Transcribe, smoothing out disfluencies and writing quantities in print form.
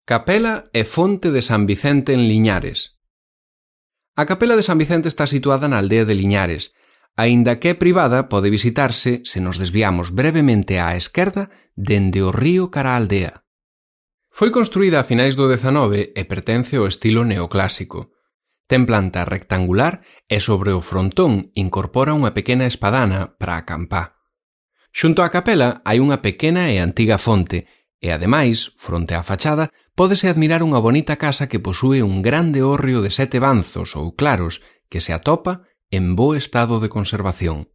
Capela e fonte de San Vicente en Liñares. A capela de San Vicente está situada na aldea de Liñares. Aínda que é privada, pode visitarse se nos desviamos brevemente á esquerda dende o río cara á aldea. Foi construída a finais do XIX e pertence ao estilo neoclásico. Ten planta rectangular e sobre o frontón incorpora unha pequena espadana para acampar. Xunto á capela hai unha pequena e antiga fonte e, ademais, fronte á fachada, pódese admirar unha bonita casa que posúe un grande hórreo de 7 banzos ou claros que se atopa en bo estado de conservación.